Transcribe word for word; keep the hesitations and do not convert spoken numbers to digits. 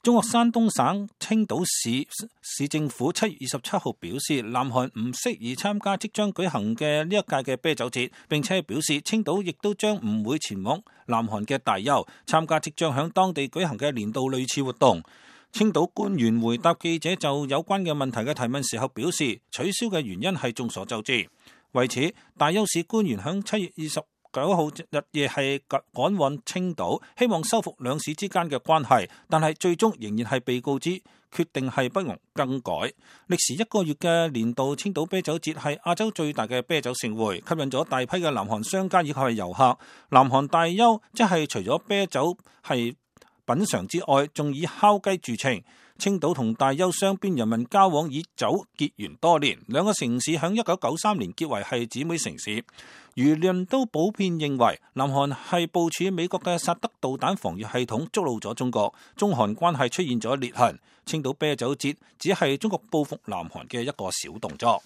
中國山東省青島市市政府七月二十七號表示，南韓唔適宜參加即將舉行嘅呢一屆嘅啤酒節，並且表示青島亦都將唔會前往南韓嘅大邱參加即將響當地舉行嘅年度類似活動。青島官員回答記者就有關嘅問題嘅提問時候表示，取消嘅原因係眾所周知。為此，大邱市官員響七月二十九號日夜係趕往青島，希望修復兩市之間嘅關係，但係最終仍然係被告知決定係不容更改。歷時一個月嘅年度青島啤酒節係亞洲最大嘅啤酒盛會，吸引咗大批嘅南韓商家以及係遊客。南韓大邱即係除咗啤酒係品嘗之外，仲以烤雞著稱。青島同大邱雙邊人民交往以酒結緣多年，兩個城市響一九九三年結為係姊妹城市。輿論都普遍認為南韓係部署美國嘅薩德導彈防禦系統觸怒咗中國，中韓關係出現咗裂痕。青島啤酒節只係中國報復南韓嘅一個小動作。